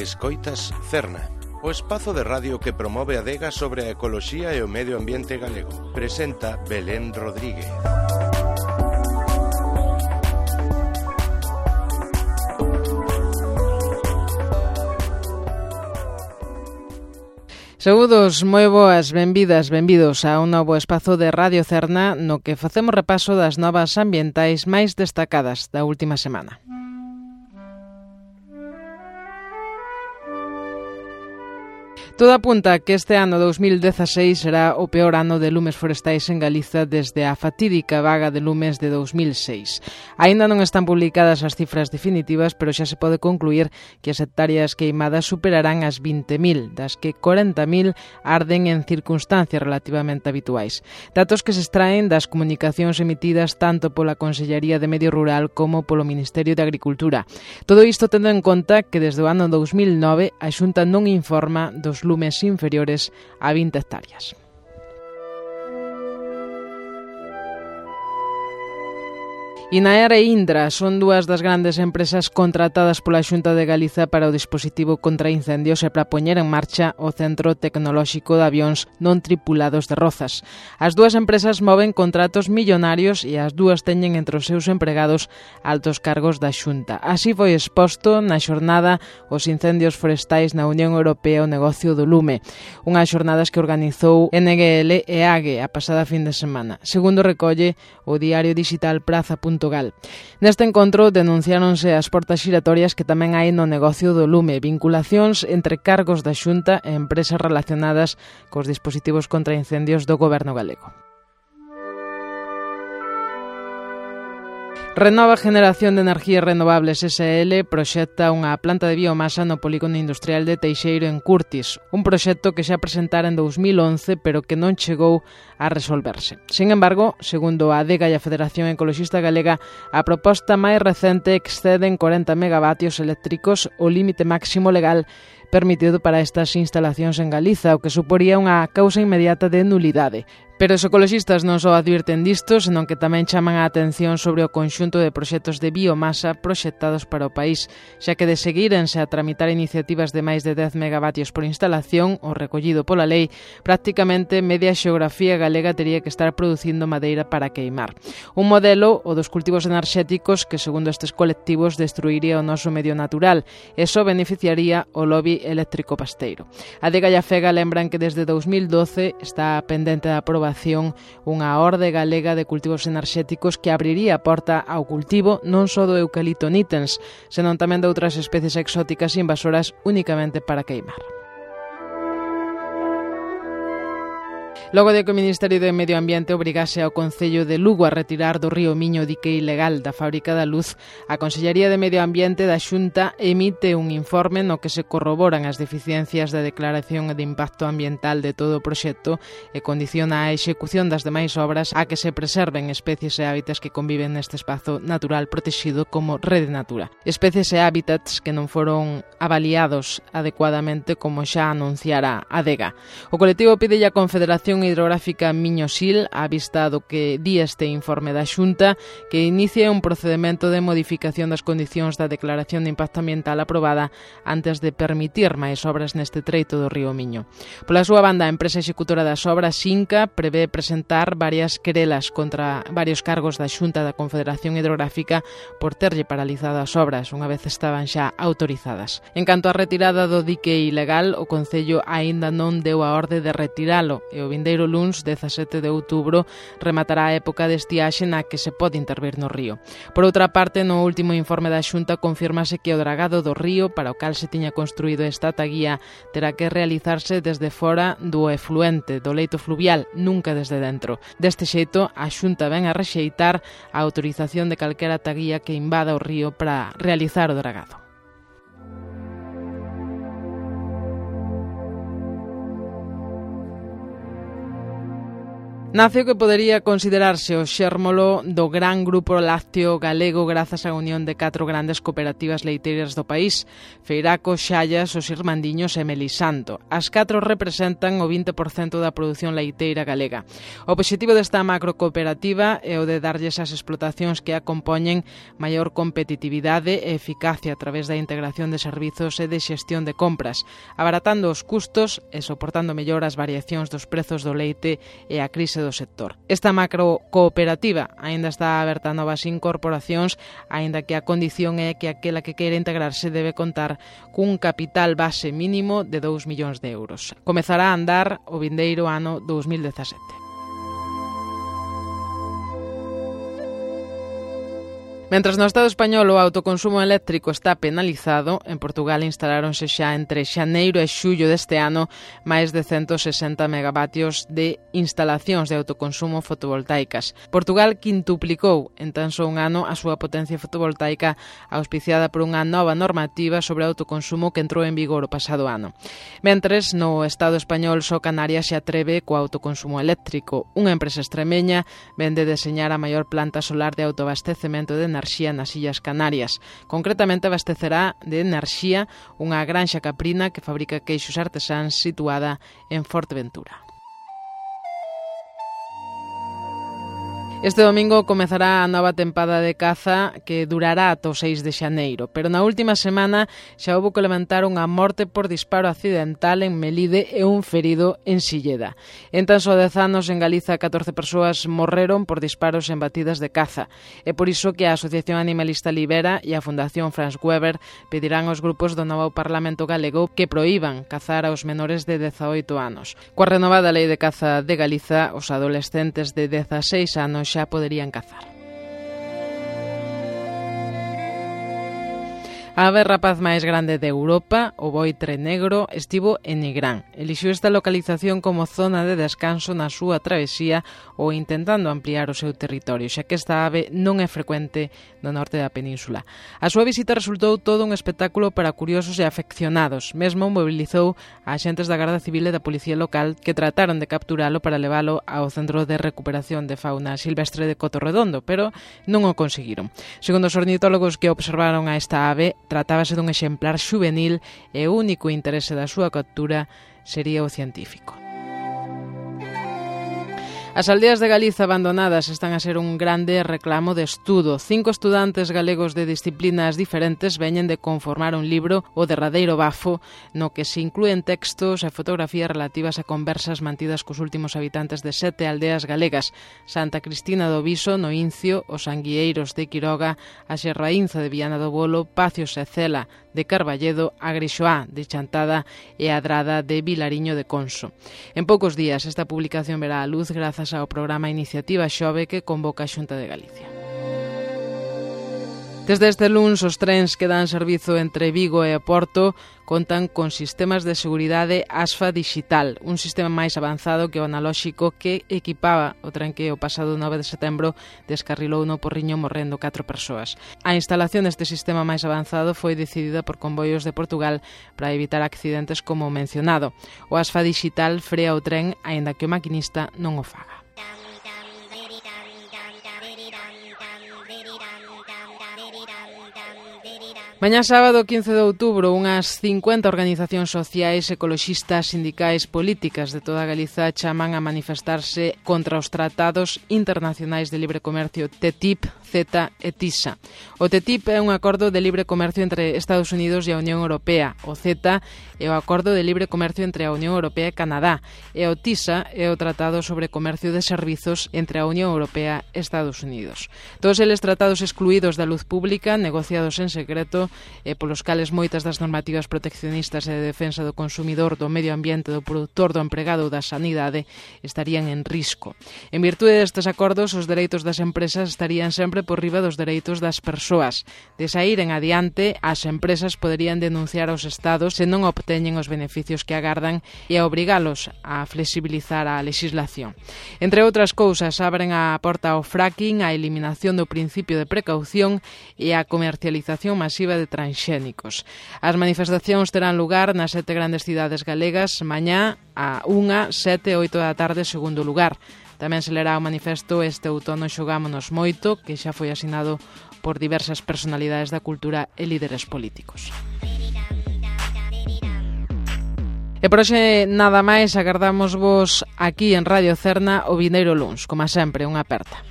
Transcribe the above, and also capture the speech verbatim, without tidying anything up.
Escoitas Cerna, o espazo de radio que promove a adega sobre a ecoloxía e o medio ambiente galego. Presenta Belén Rodríguez. Saúdos, moi boas, benvidas, benvidos a un novo espazo de Radio Cerna no que facemos repaso das novas ambientais máis destacadas da última semana. Todo apunta que este ano dous mil dezaseis será o peor ano de lumes forestais en Galiza desde a fatídica vaga de lumes de dous mil seis. Aínda non están publicadas as cifras definitivas, pero xa se pode concluir que as hectáreas queimadas superarán as vinte mil, das que corenta mil arden en circunstancias relativamente habituais. Datos que se extraen das comunicacións emitidas tanto pola Consellería de Medio Rural como polo Ministerio de Agricultura. Todo isto tendo en conta que desde o ano dous mil nove a Xunta non informa dos lumes inferiores a vinte hectáreas. Inaer e Indra son dúas das grandes empresas contratadas pola Xunta de Galiza para o dispositivo contra incendios e para poñer en marcha o Centro Tecnolóxico de Avións non tripulados de Rozas. As dúas empresas moven contratos millonarios e as dúas teñen entre os seus empregados altos cargos da Xunta. Así foi exposto na xornada os incendios forestais na Unión Europea o negocio do lume, unhas xornadas que organizou N G L e A G E a pasada fin de semana, segundo recolle o diario digital praza punto gal. Neste encontro denunciáronse as portas xiratorias que tamén hai no negocio do lume, vinculacións entre cargos da Xunta e empresas relacionadas cos dispositivos contra incendios do goberno galego. Renova Generación de Energías Renovables S L proxecta unha planta de biomasa no polígono industrial de Teixeiro en Curtis, un proxecto que xa presentara en dous mil once, pero que non chegou a resolverse. Sin embargo, segundo a ADEGA e a Federación Ecoloxista Galega, a proposta máis recente excede en corenta megavatios eléctricos o límite máximo legal permitido para estas instalacións en Galiza, o que suporía unha causa inmediata de nulidade. Pero os ecoloxistas non só advirten disto, senón que tamén chaman a atención sobre o conxunto de proxectos de biomasa proxectados para o país, xa que de seguírense a tramitar iniciativas de máis de dez megavatios por instalación, o recollido pola lei, prácticamente media xeografía galega tería que estar producindo madeira para queimar. Un modelo, o dos cultivos enerxéticos, que segundo estes colectivos destruiría o noso medio natural, e só beneficiaría o lobby eléctrico pasteiro. A ADEGA e a FEGA lembran que desde dous mil doce está pendente da aprobación unha orde galega de cultivos enerxéticos que abriría a porta ao cultivo non só do eucalipto nitens, senón tamén de outras especies exóticas invasoras únicamente para queimar. Logo de que o Ministerio de Medio Ambiente obrigase ao Concello de Lugo a retirar do río Miño o dique ilegal da Fábrica da Luz, a Consellería de Medio Ambiente da Xunta emite un informe no que se corroboran as deficiencias da declaración de impacto ambiental de todo o proxecto e condiciona a execución das demais obras a que se preserven especies e hábitats que conviven neste espazo natural protexido como Rede Natura. Especies e hábitats que non foron avaliados adecuadamente como xa anunciara a ADEGA. O colectivo pide a Confederación Hidrográfica Miño-Sil, á vista do que di este informe da Xunta, que inicie un procedemento de modificación das condicións da declaración de impacto ambiental aprobada antes de permitir máis obras neste treito do río Miño. Pola súa banda, a empresa executora das obras, Xinca, prevé presentar varias querelas contra varios cargos da Xunta da Confederación Hidrográfica por terlle paralizado as obras, unha vez estaban xa autorizadas. En canto á retirada do dique ilegal, o Concello aínda non deu a orde de retiralo e o vindeiro luns, dezasete de outubro, rematará a época de estiaxe na que se pode intervir no río. Por outra parte, no último informe da Xunta confirmase que o dragado do río, para o cal se tiña construído esta taguía, terá que realizarse desde fora do efluente, do leito fluvial, nunca desde dentro. Deste xeito, a Xunta ven a rexeitar a autorización de calquera taguía que invada o río para realizar o dragado. Nace o que podería considerarse o xérmolo do gran grupo lácteo galego grazas á unión de catro grandes cooperativas leiteiras do país, Feiraco, Xallas, Os Irmandiños e Melisanto. As catro representan o vinte por cento da produción leiteira galega. O obxectivo desta macrocooperativa é o de darlles ás explotacións que a compoñen maior competitividade e eficacia a través da integración de servizos e de xestión de compras, abaratando os custos e soportando mellor as variacións dos prezos do leite e a crise do sector. Esta macrocooperativa aínda está aberta a novas incorporacións, aínda que a condición é que aquela que queira integrarse debe contar cun capital base mínimo de dous millóns de euros. Comezará a andar o vindeiro ano dous mil dezasete. Mentras no Estado español o autoconsumo eléctrico está penalizado, en Portugal instalaronse xa entre xaneiro e xullo deste ano máis de ciento sesenta megavatios de instalacións de autoconsumo fotovoltaicas. Portugal quintuplicou en tan só un ano a súa potencia fotovoltaica auspiciada por unha nova normativa sobre autoconsumo que entrou en vigor o pasado ano. Mentres, no Estado español só Canarias se atreve co autoconsumo eléctrico. Unha empresa extremeña vende deseñar a maior planta solar de autoabastecemento de enerxía enerxía nas Illas Canarias. Concretamente abastecerá de enerxía unha granxa caprina que fabrica queixos artesáns situada en Forteventura. Este domingo comezará a nova tempada de caza que durará ata o seis de xaneiro, pero na última semana xa houbo que levantar unha morte por disparo accidental en Melide e un ferido en Silleda. En tan só dez anos en Galiza catorce persoas morreron por disparos en batidas de caza. É por iso que a Asociación Animalista Libera e a Fundación Franz Weber pedirán aos grupos do novo Parlamento galego que proíban cazar aos menores de dezaoito anos. Coa renovada Lei de Caza de Galiza, os adolescentes de dezaseis anos xa poderían cazar. A ave rapaz máis grande de Europa, o boitre negro, estivo en Nigrán. Elixiu esta localización como zona de descanso na súa travesía ou intentando ampliar o seu territorio, xa que esta ave non é frecuente no norte da península. A súa visita resultou todo un espectáculo para curiosos e afeccionados. Mesmo mobilizou a axentes da Garda Civil e da Policía Local que trataron de capturalo para leválo ao Centro de Recuperación de Fauna Silvestre de Cotorredondo, pero non o conseguiron. Segundo os ornitólogos que observaron a esta ave, tratábase dun exemplar xuvenil e o único interese da súa captura sería o científico. As aldeas de Galiza abandonadas están a ser un grande reclamo de estudo. Cinco estudantes galegos de disciplinas diferentes veñen de conformar un libro, O derradeiro bafo, no que se inclúen textos e fotografías relativas a conversas mantidas cos últimos habitantes de sete aldeas galegas: Santa Cristina do Viso, no Incio, os Anguieiros de Quiroga, a Xerraínza de Viana do Bolo, Pacios e Cela de Carballedo, a Grixoá de Chantada e a Adrada de Vilariño de Conso. En poucos días esta publicación verá a luz grazas ao programa Iniciativa Xove que convoca a Xunta de Galicia. Desde este luns, os trens que dan servizo entre Vigo e Porto contan con sistemas de seguridade ASFA digital, un sistema máis avanzado que o analóxico que equipaba o tren que o pasado nove de setembro descarrilou no Porriño morrendo catro persoas. A instalación deste sistema máis avanzado foi decidida por Comboios de Portugal para evitar accidentes como mencionado. O ASFA digital frea o tren aínda que o maquinista non o faga. Mañá sábado quince de outubro, unhas cincuenta organizacións sociais, ecoloxistas, sindicais, políticas de toda Galiza chaman a manifestarse contra os tratados internacionais de libre comercio T T I P, CETA e TISA. O T T I P é un acordo de libre comercio entre Estados Unidos e a Unión Europea. O CETA é o acordo de libre comercio entre a Unión Europea e Canadá. E o TISA é o tratado sobre comercio de servizos entre a Unión Europea e Estados Unidos. Todos eles tratados excluídos da luz pública, negociados en secreto, e polos cales moitas das normativas proteccionistas e de defensa do consumidor, do medio ambiente, do produtor, do empregado ou da sanidade estarían en risco. En virtude destes acordos, os dereitos das empresas estarían sempre por riba dos dereitos das persoas. De saír en adiante, as empresas poderían denunciar aos estados se non obteñen os beneficios que agardan e a obrigalos a flexibilizar a legislación. Entre outras cousas, abren a porta ao fracking, a eliminación do principio de precaución e a comercialización masiva de transxénicos. As manifestacións terán lugar nas sete grandes cidades galegas mañá a unha, sete e oito da tarde segundo lugar. Tamén se lerá o manifesto Este outono xogámonos moito, que xa foi asinado por diversas personalidades da cultura e líderes políticos. E por hoxe nada máis, agardamos vos aquí en Radio Cerna o vindeiro luns. Como sempre, unha aperta.